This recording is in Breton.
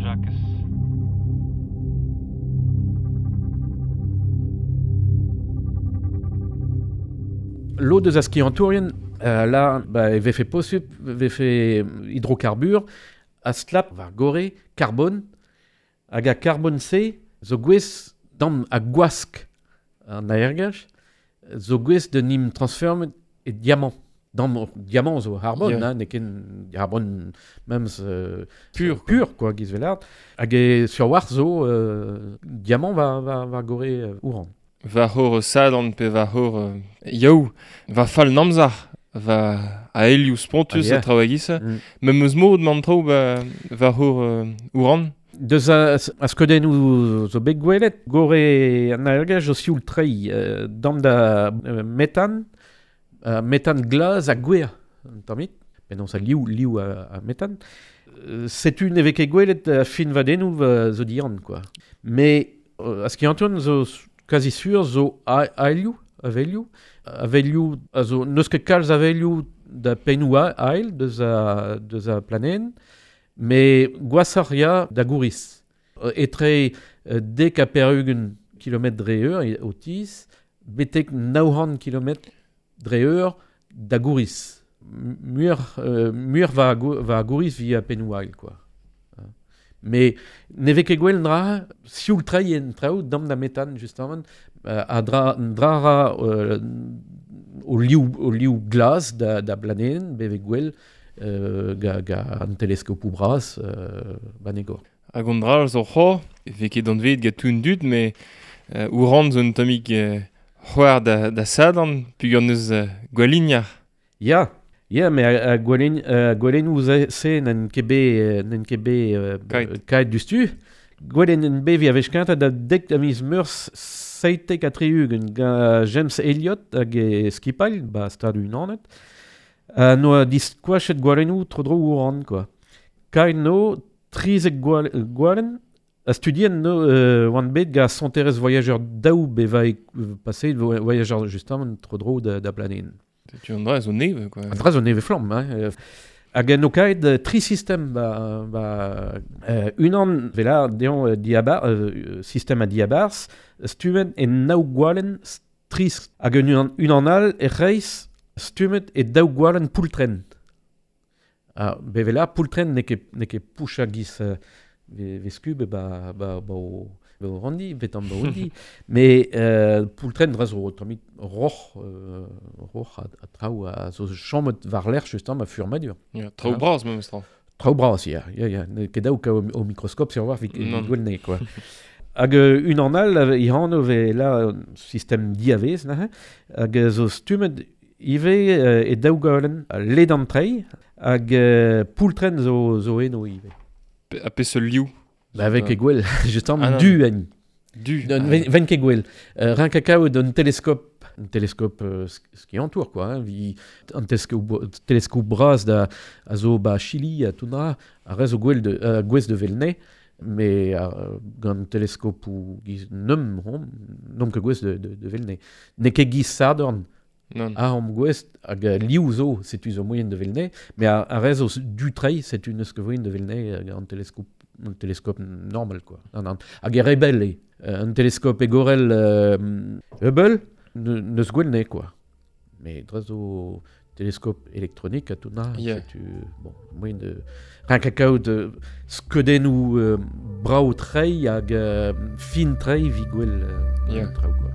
Jakez. Lod eus a skiantourien, la, ba, e vefe posub, vefe hidrokarbur, a stlap war gore, karbon, hag a karbon-se zo gwez dam a gwask an aergelc'h, zo gwez de nim transformet e diamant. Dam diamant zo harbon, Yeah. hein, n'eo ket harbon memes Pur, quoi. pur quoi, giz velard. Hag e sur war zo diamant va gore ouran. Va c'hor sadan pe va c'hor yaou, va fall namzar, va aelioù spontus Ah, yeah. a traoù a-giz. Mm. Mem eus mod man traoù ba, va c'hor ouran. Deus a skeudennoù zo bet gwelet, gore an aergelc'h zo sioul treiñ dam da metan, metan glaz ha gwer, un tammig, penaos a liv a metan. Setu ne vez ket gwelet fin vadennoù zo dian, quoi. Mais a skiantourien zo quasi sur zo aelioù, avelioù, a zo n'eus ket kalz avelioù da pennoù ael deus a planenn, mais gwasoc'h ya da gouriz. Etre dek ha pevar-ugent kilometr dre eur o tiz, betek 900 kilometr dre eur da gouriz. Muioc'h va gouriz via pennoù ael, quoi. Hein. Mais ne vez ket gwell dra, sioul treiñ en traoù, dam da metan, justement, a dra ra o liv glas da blanenn, beve gwell, ga an teleskopoù bras banegor. Hag an dra zo c'ho, e vez ket anvet gant tout an dud, mais ouran zo un tammig c'hoar da sadan, peogwir neus gwalignar. Ya, ya, mais a gwalennoù se n'en ket bet, n'en ket bet Kaet. kaet dustu. Gwelen en bet vi a vech kentañ da dek a miz meurzh 77 gant James Elliot hag e skipal, ba Stadoù Unanet. Noa diskoachet gwalennoù tro-dro ouran, quoi. Kaet no trizek gwalen, a studien no oan bet gant sonterez voyageur daou beva passé voyageur justement tro-dro da planenn. Tu an dra zo neve, quoi. An dra zo neve flamm, hein. Hag en o kaet tri sistem ba unan vela deon diabar, sistem a diabars, stumet en naou gwalen tris. Hag unan all e reiz stumet e daou gwalen poultren. Ah, bevela poultren n'eo ket poucha giz ve skub ba o randi, vetan ba ondi. Mais poultren dra zo tammig roc'h a traoù a zo chommet war lerc'h justement a furmadur. Ya, traoù Ah. bras memes tra. Traoù bras, ya, ya, ya. N'eo ket daou ka o mikroskop sur war Non. vit gwell ne, quoi. Hag unan all, i hanv ve la sistem diavez, neuze, hag zo stummet ivez e daou galen ledan treiñ, hag poultren zo eno ivez. A peseurt liv? Ba, avec e gwell, justement, Ah, non. du en. Du. Non, Ah. ven ket gwell. Rin kakao d'un télescope, un télescope ce qui entoure, quoi, hein, vi, un télescope bras da, a zo ba Chili, a tout dra, a rez o gwell de gwez de Velne, mais gant télescope ou giz num, hom, nom ket gwez de Velne. N'eo ket giz Sadorn. Non. A hom gwez hag liv zo, setu zo moyen de Velne, mais a rez o du treiñ, setu neus ket voyen de Velne un télescope, un télescope normal, quoi. Non, non. Hag e rebel eo. Un télescope egorel Hubble, neus gwell ne, quoi. Mais dre zo télescope électronique a tout na, Yeah. setu, bon, moyen de... Rin kakao de skeudennoù brao treiñ hag fin treiñ vi gwell Yeah. traoù, quoi.